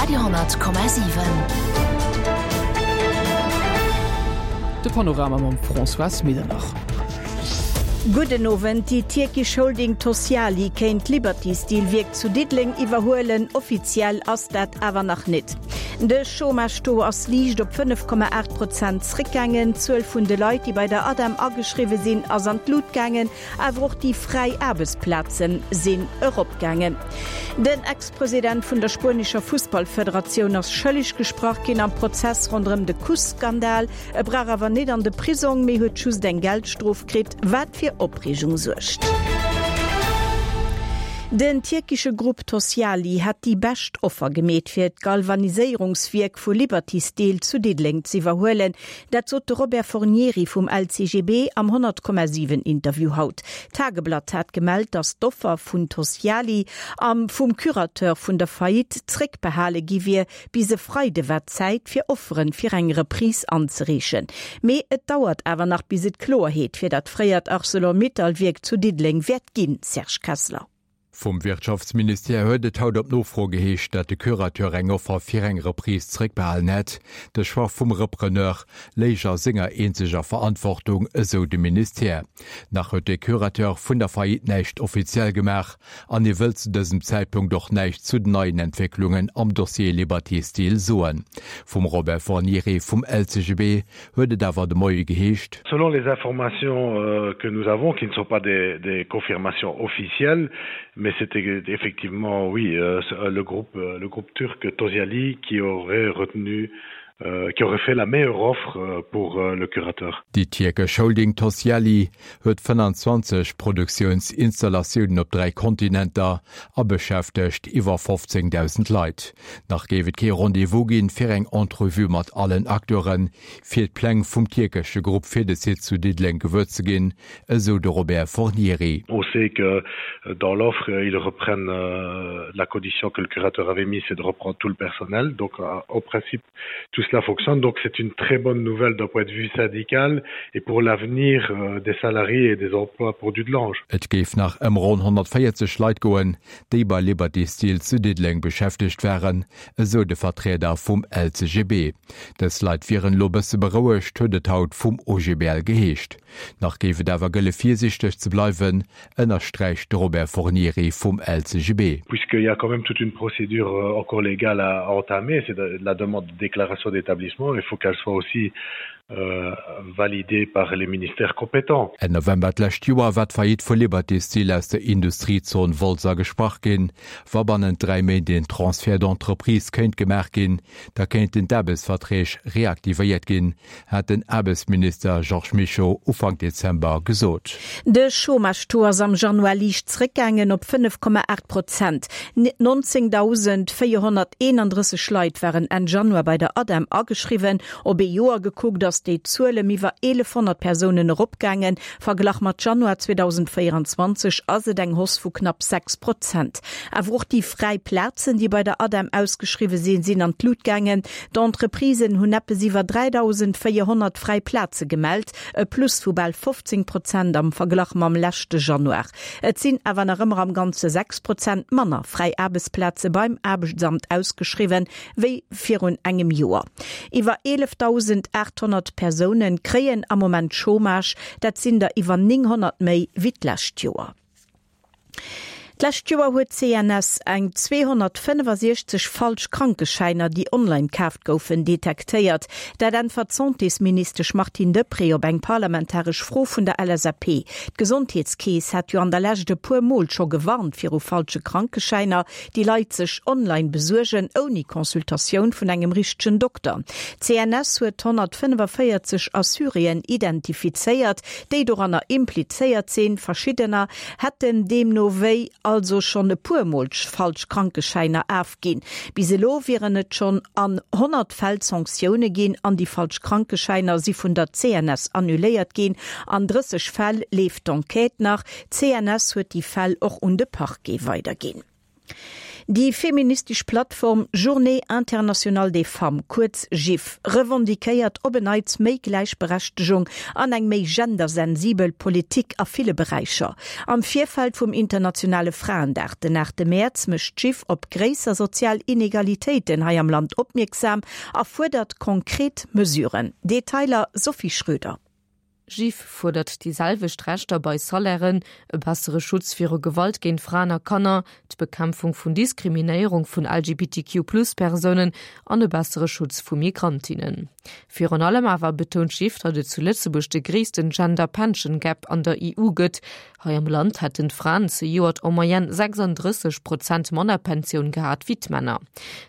Radio 10,7. De Panorama mam Françoise Medernach. Gudden Owend, Déi tierkesch Holding Tosyali kéint d'Liberty Steel Wierk zu Diddeleng iwwerhuelen. Offiziell ass dat awer nach nit. De Chômage-Taux ass liicht op 5,8 Prozent zréckgaangen. D'Zuel vun de Leit, déi bei der ADEM ageschriwwe sinn, ass an d'Lut gaangen. Awer och déi fräi Aarbechtsplaze sinn eropgaangen. Den Ex-President vun der spuenescher Fussballfederatioun ass schëlleg gesprach ginn am Prozess ronderëm de Kuss-Skandal. E brauch awer net an de Prisong, mee huet just eng Geldstrof kritt, wat fir Opreegung suergt. Den tierkesche Grupp Tosyali hätt déi bescht Offer gemeet, fir d'Galvaniséierungswierk vu Liberty Steel zu Diddeleng z'iwwerhuelen. Dat sot de Robert Fornieri vum LCGB am 100,7 Interview haut. D'Tageblatt hat gemellt, datt d'Offer vun Tosyali am vum Curateur vun der Faillite zréckbehale gi wier. Bis e Freide war Zäit fir Offeren fir eng Reprise anzereechen. Mee et dauert awer nach bis et Kloerheet fir dat fréiert Arcelor-Mittal-Wierk zu Diddeleng wäert ginn, Serge Kessler. Vum Wirtschaftsministère huet et haut op Nofro geheescht, dat de Curateur eng Offer fir eng Reprise zeréckbehalen hätt. De Choix vum Repreneur léich a senger eenzeger Verantwortung, esou de Ministère. Nach huet de Curateur vun der Faillite näischt offiziell gemaach an hie wëllt zu dësem Zäitpunkt och näischt zu den neien Entwécklungen am Dossier Liberty Steel soen. Vum Robert Fornieri vum LCGB huet et awer de Moie geheescht. Selon les informations euh, que nous avons, qui ne sont pas des, des confirmations officielles, mais c'était effectivement oui euh, euh le groupe euh, le groupe turc Toziali qui aurait retenu euh, qui aurait fait la meilleure offre euh, pour euh, le curateur. Déi tierkesch Holding Tosyali huet 25 Produktiounsinstallatiounen op 3 Kontinenter a beschäftegt iwwer 15.000 Leit. Nach géif et kee Rendez-vous ginn, fir eng Entrevue mat allen Acteuren, fir d'Pläng vum tierkesche Grupp fir de Site zu Diddeleng gewuer ze ginn, esou de Robert Fornieri. On sait que dans l'offre, ils reprennent la condition que le curateur avait mis, c'est de reprendre tout le personnel. Donc au principe, tout cela fonctionne. Donc c'est une très bonne nouvelle d'un point de vue syndical et pour l'avenir des salariés et des emplois pour Dudelange. Et géif nach ëm ronn 140 Leit goen, déi bei Liberty Steel zu Diddeleng beschäftegt waren, esou de Vertrieder vum LCGB. Dës Leit wieren elo bësse berouegt, huet et haut vum OGBL geheescht. Nach géif et awer gëlle virsiichteg ze bleiwen, ënnersträicht de Robert Fornieri vum LCGB. Puisqu'il y a quand même toute une procédure encore légale à entamer, c'est la demande de déclaration d'établissement, il faut qu'elle soit aussi validée par les ministères compétents. Enn November d'lescht Joer war d'Faillite vu Liberty Steel aus der Industriezon Wolz agesprach ginn. Wa bannent 3 Méint een Transfert d'entreprise kéint gemaach ginn, da kéinten d'Aarbechtsverträg reaktivéiert ginn, hat den Aarbechtsminister Georges Mischo Ufank Dezember gesot. De Chômage-Taux ass am Januar liicht zréckgaangen op 5,8 Prozent. 19.431 Leit waren Enn Januar bei der ADEM ageschriwwen. Op ee Joer gekuckt ass déi Zuel ëm iwwer 1.100 Persounen eropgaangen. Verglach mat Januar 2024 ass et eng Hausse vu knapp 6 Prozent. Awer och déi fräi Plazen, déi bei der ADEM ausgeschriwwe sinn, sinn an d'Lut gaangen. D'Entreprisen hunn eppes iwwer 3.400 fräi Plaze gemellt, e Plus vu bal 15 Prozent am Verglach mam leschte Januar. Et sinn awer nach ëmmer am Ganze 6 Prozent manner fräi Aarbechtsplaze beim Aarbechtsamt ausgeschriwwen, wéi virun engem Joer. Iwwer 11.800 Persoune kréien am Moment Chômage, dat sinn der iwwer 900 méi wéi d'lescht Joer. D'lescht Joer huet d'CNS eng 265 falsch Krankeschäiner, déi online kaaft goufen, detektéiert. Dat äntwert d'Santésministesch Martine Deprez op eng parlamentaresch Fro vun der LSAP. D'Gesondheetskeess hat jo an der Lescht e puer Mol scho gewarnt viru falsche Krankeschäiner, déi Leit sech online besuergen, ouni Consultatioun vun engem richtegen Dokter. D'CNS huet 145 Assuréen identifizéiert, déi doranner implizéiert sinn. Verschiddener hätten deemno wéi also schonn e puer Mol falsch Krankeschäiner afginn. Bis elo wieren et schonn an 100 Fäll Sanktioune ginn an déi falsch Krankeschäiner si vun der CNS annuléiert ginn. An 30 Fäll leeft d'Enquête nach. D'CNS huet déi Fäll och un de Parquet weiderginn. Déi feministesch Plattform Journée internationale des femmes, kuerz JIF, revendiquéiert op en Neits méi Gläichberechtegung an eng méi gendersensibel Politik a ville Beräicher. Am Virfeld vum internationale Fraendag, den 8 Mäerz, mécht d'JIF op gréisser sozial Inegalitéiten hei am Land opmierksam a fuerdert konkret Mesuren. Detailer Sophie Schröder. JIF fuerdert déi selwecht Rechter bei Salairen, e bessere Schutz viru Gewalt géint Fraen a Kanner, d'Bekämpfung vun Diskriminéierung vun LGBTQ-Plus-Persounen an e bessere Schutz vu Migrantinnen. Virun allem awer betount JIF, datt et zu Lëtzebuerg de gréissten Gender Pension Gap an der EU gëtt. Hei am Land hätten d'Fraen zejoert en moyenne 36 Prozent manner Pensioun gehat wéi d'Männer.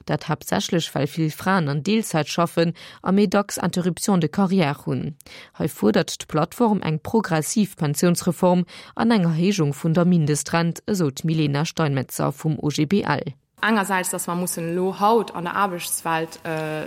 Dat haaptsächlech well vill Fraen an Deelzäit schaffen a méi dacks Interruptions de carrière hunn. Hei fuerdert d'Plattform eng progressiv Pensiounsreform an eng Erhéijung vun der Mindestrent, esou d'Milena Steinmetzer vum OGBL. Engersäits, dass mer mussen elo haut an der Aarbechtswelt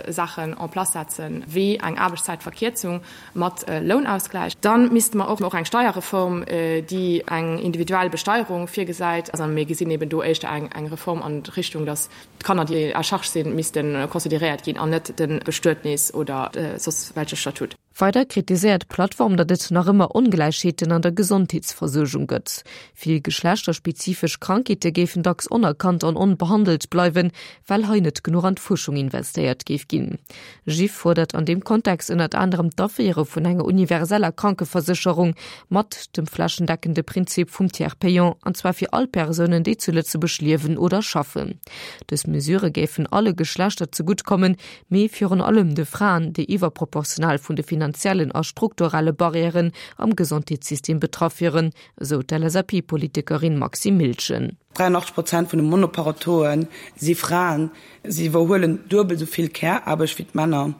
Saachen en place setzen, wéi eng Aarbechtszäitverkierzung mat Lounausgläich. Da misste mer och eng Steierreform, déi eng individuell Besteierung virgesäit. Also mir gesinn eben do éischter eng Reform an d'Richtung, dass d'Kanner, déi à charge sinn, misste consideréiert ginn an net de Bestuetnis oder soss welche Statut. Weider kritiséiert d'Plattform, datt et nach ëmmer Ongläichheeten an der Gesondheetsversuergung gëtt. Vill geschlechterspezifesch Krankheete géifen dacks onerkannt an onbehandelt bleiwen, well hei net genuch an d'Fuerschung investéiert géif ginn. GIF fuerdert an deem Kontext ënnert anerem d'Aféiere vun enger universeller Krankeversécherung mat dem flächendeckende Prinzip vum Tiers payant, an zwar fir all Persounen, déi zu Lëtzebuerg liewen oder schaffen. Dës Mesure géifen alle Geschlechter zegutt kommen, mee virun allem de Fraen, déi iwwerproportional vun de finanziellen a strukturelle Barrièren am Gesondheetssystem betraff wieren, esou d'LSAP-Politikerin Maxime Miltgen. 83 Prozent vun de Monoparentoe si Fraen. Si iwwerhuelen duebel esou vill Care-Aarbecht wéi d'Männer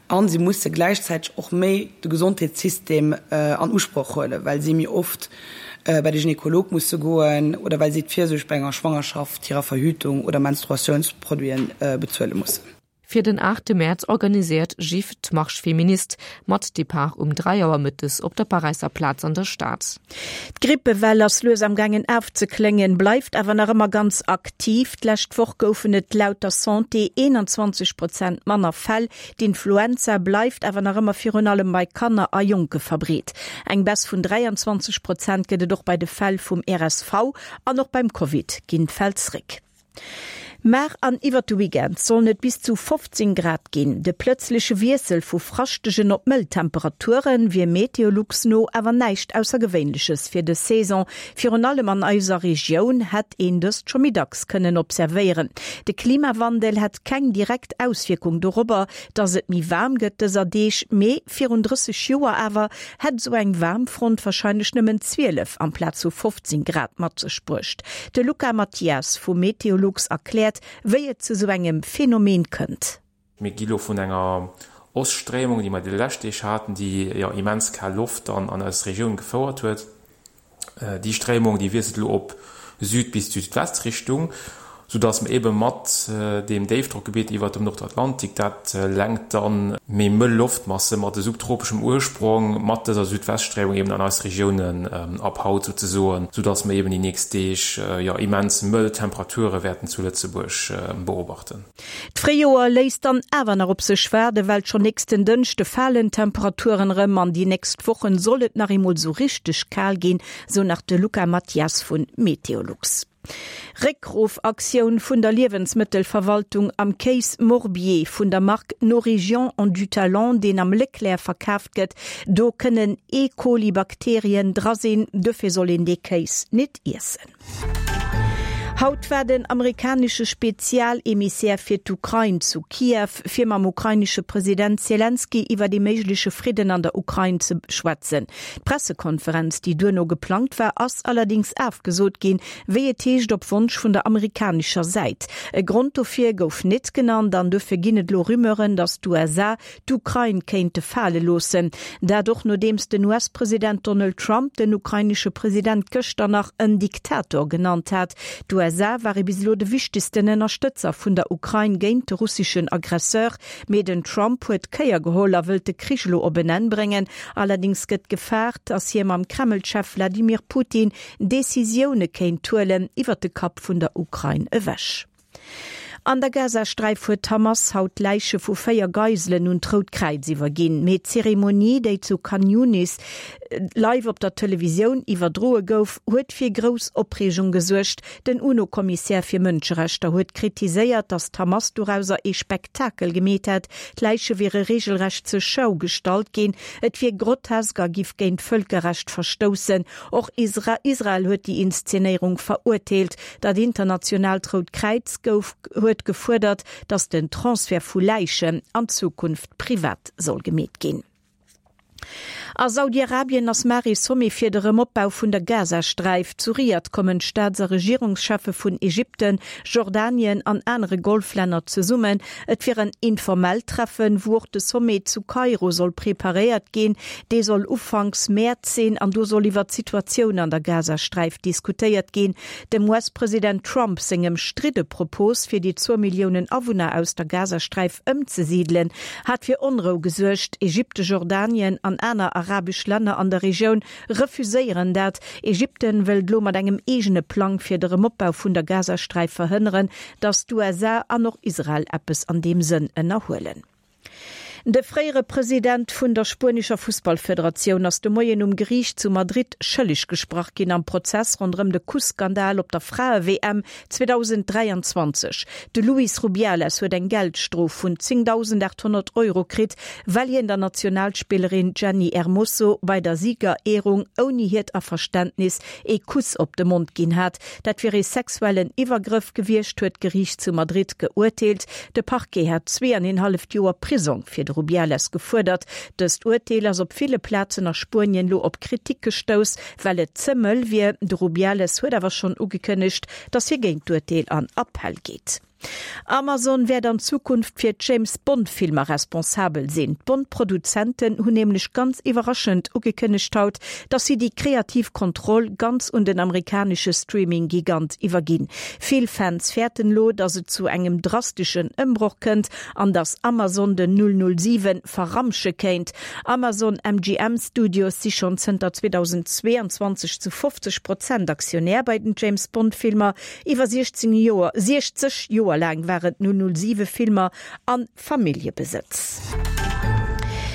a si musse gläichzäiteg och méi de Gesondheetssystem an Usproch huelen, well si méi oft bei de Gynekolog musse goen oder well si d'Virsuerg bei enger Schwangerschaft, hirer Verhütung oder Menstruatiounsproduiten bezuele mussen. Fir den 8 Mäerz organiséiert GIF d'Marche Féministe mat Depart um 3 Auer mëttes op der Paräisser Plaz an der Stad. D'Grippewell ass lues am gaangen afzekléngen, bleift awer nach ëmmer ganz aktiv. D'lescht Woch goufen et laut der Santé 21 Prozent manner Fäll. D'Influenza bleift awer nach ëmmer virun allem bei Kanner a Jonke verbreet. Eng Baisse vun 23 Prozent gëtt et och bei de Fäll vum RSV an och beim Covid ginn d'Fäll zréck. Mar an iwwert de Weekend sollen et bis zu 15 Grad ginn. De plëtzleche Wiessel vu fraschtegen op mëll Temperature wier Meteolux no awer näischt Aussergewéinleches fir dës Saison. Virun allem an eiser Regioun hätt een dëst scho méi dacks kënnen observéieren. De Klimawandel hätt keng direkt Auswierkung dorobber, dass et méi waarm gëtt dëser Deeg, mee virun 30 Joer awer hätt esou eng Waarmfront warscheinlech nëmmen 12 amplaz vu 15 Grad mat sech bruecht. De Luca Mathias vu Meteolux erkläert, wéi et zu sou engem Phänomen kënnt. Mir gi lo vun enger Oststréimung, déi mer déi lescht Deeg haten, déi jo immens kal Loft dann an eis Regioun gefouert huet. Déi Stréimung, déi wiesselt elo op Süd bis Südwestrichtung, soudass mer ebe mat deem Déifdrockgebitt iwwert dem Nordatlantik, dat lenkt dann méi mëll Loftmasse mat e subtropeschem Ursprong mat dëser Südweststréimung eben an eis Regiounen ab haut souzesoen, soudass mer eben déi nächst Deeg, jo, immens mëll Temperature wäerten zu Lëtzebuerg beobachten. D'Fréijoer léisst dann awer nach op sech waarden, well schonn nächsten Dënschde falen d'Temperaturen erëm an déi nächst Wochen soll et nach eemol sou richteg kal ginn, sou nach de Luca Mathias vun Meteolux. Réckruffaktioun vun der Liewensmëttelverwaltung am Kéis Morbier vun der Mark Nos Régions ont du talent, deen am Leclerc verkaaft gëtt. Do kënnen E. coli Bakterien dra sinn, dofir soll een dee Kéis nit iessen. Haut war den amerikanesche Spezialemissär fir d'Ukrain zu Kiew, fir mam ukrainesche President Selenskyj iwwer ee méigleche Fridden an der Ukrain ze schwätzen. D'Pressekonferenz, déi duerno geplangt war, ass allerdéngs afgesot ginn, wéi et heescht op Wonsch vun der amerikanescher Säit. E Grond dofir gouf net genannt an dofir ginn et elo Rumeuren, datt d'USA d'Ukrain kéinte fale loossen. Dat och nodeems den US-President Donald Trump den ukrainesche President gëschter nach en Diktator genannt hat. D'USA. USA war ee bis elo de wichtegsten Ënnerstëtzer vun der Ukrain géint de russeschen Aggresseur. Mee den Trump huet d'Kéier geholl a wëllt de Krich elo op en Enn bréngen. Allerdéngs gëtt gefaart, datt hie mam Kreml-Chef Wladimir Putin Decisioune kéint huelen iwwer de Kapp vun der Ukrain ewech. An der Gazasträif huet d'Hamas haut d'Läiche vu 4 Geiselen un d'Rout Kräiz iwwerginn. Mee d'Zeremonie, déi zu Khan Younis live op der Televisioun iwwerdroe gouf, huet fir grouss Opreegung gesuergt. Den UNO-Kommissär fir Mënscherechter huet kritiséiert, datt d'Hamas dorauser ee Spektakel gemeet hätt. D'Läiche wiere reegelrecht zur Schau gestallt ginn. Et wier grotesk a giff géint d'Vëlkerrecht verstoussen. Och Israel huet déi Inszenéierung verurteelt. Dat internationaalt Rout Kräiz gouf huet gefuerdert, datt den Transfert vu Läichen an Zukunft privat soll gemeet ginn. A Saudi-Arabien ass mar ee Sommet fir de Rëmopbau vun der Gazasträif. Zu Riad kommen d'Staats a Regierungscheffe vun Ägypten, Jordanien an anere Golflänner zesummen. Et wier en informellt Treffen, wou och de Sommet zu Kairo soll preparéiert ginn. Dee soll ufanks Mäerz sinn an do soll iwwer d'Situatioun an der Gazasträif diskutéiert ginn. Dem US-President Trump seng ëmstridde Propos, fir déi zwou Milliounen Awunner aus der Gazasträif ëmzesidelen, hat fir Onrou gesuergt. Ägypten, Jordanien an aner arabesch Länner an der Regioun refuséieren dat. Ägypten wëllt elo mat engem eegene Plang fir de Rëmopbau vun der Gazasträif verhënneren, datt d'USA an och Israel eppes an deem Sënn ënnerhuelen. De fréiere President vun der spuenescher Fussballfederatioun ass de Moien um Geriicht zu Madrid schëlleg gesprach ginn am Prozess ronderëm de Kuss-Skandal op der Frae-WM 2023. De Luis Rubiales huet eng Geldstrof vun 10.800 Euro kritt, well hien der Nationalspillerin Jenny Hermoso bei der Siegerehrung ouni hiert Averständnis ee Kuss op de Mond ginn hat. Dat wier ee sexuellen Iwwergrëff gewiescht, huet d'Geriicht zu Madrid geurteelt. De Parquet hat zweeaneenhalleft Joer Prisong fir de Rubiales gefuerdert. Dëst Urteel ass op ville Plazen a Spuenien lo op Kritik gestouss, well et ze mëll wier. De Rubiales huet awer schonn ugekënnegt, datt hie géint d'Urteel an Appell geet. Amazon wäert an Zukunft fir d'James Bond Filmer responsabel sinn. D'Bond-Produzenten hunn nämlech ganz iwwerraschend ugekënnegt haut, dass si déi kreativ Kontroll ganz un den amerikanesche Streaming-Gigant iwwerginn. Vill Fans fäerten elo, dass et zu engem drasteschen Ëmbroch kënnt an dass Amazon den 007 verramsche kéint. Amazon MGM Studios si schonn zënter 2022 zu 50 Prozent Aktionär bei den James Bond Filmer. Iwwer 16 Joer, 60 Joer laang waren d' 007 Filmer a Familljebesëtz.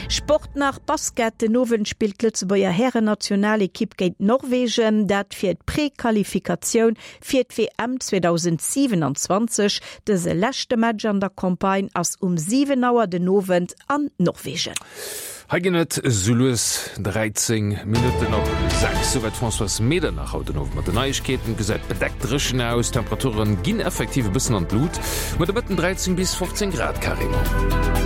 Sport nach, Basket, Den Owend spillt d'Lëtzebuerger Härennationalekipp géint Norwegen, dat fir d'Prequalifikatioun fir d'WM 2027. Dëse leschte Match an der Campagne ass um 7 Auer den Owend an Norwegen. Hei ginn et sou lues 13 Minutten op 6. Souwäit d'Françoise Medernach haut den Owend mat den Neiegkeeten. Et gesäit bedeckt dréchen aus, d'Temperature ginn effektiv e bëssen an d'Lut, muer de Mëtten 13 bis 15 Grad carrément.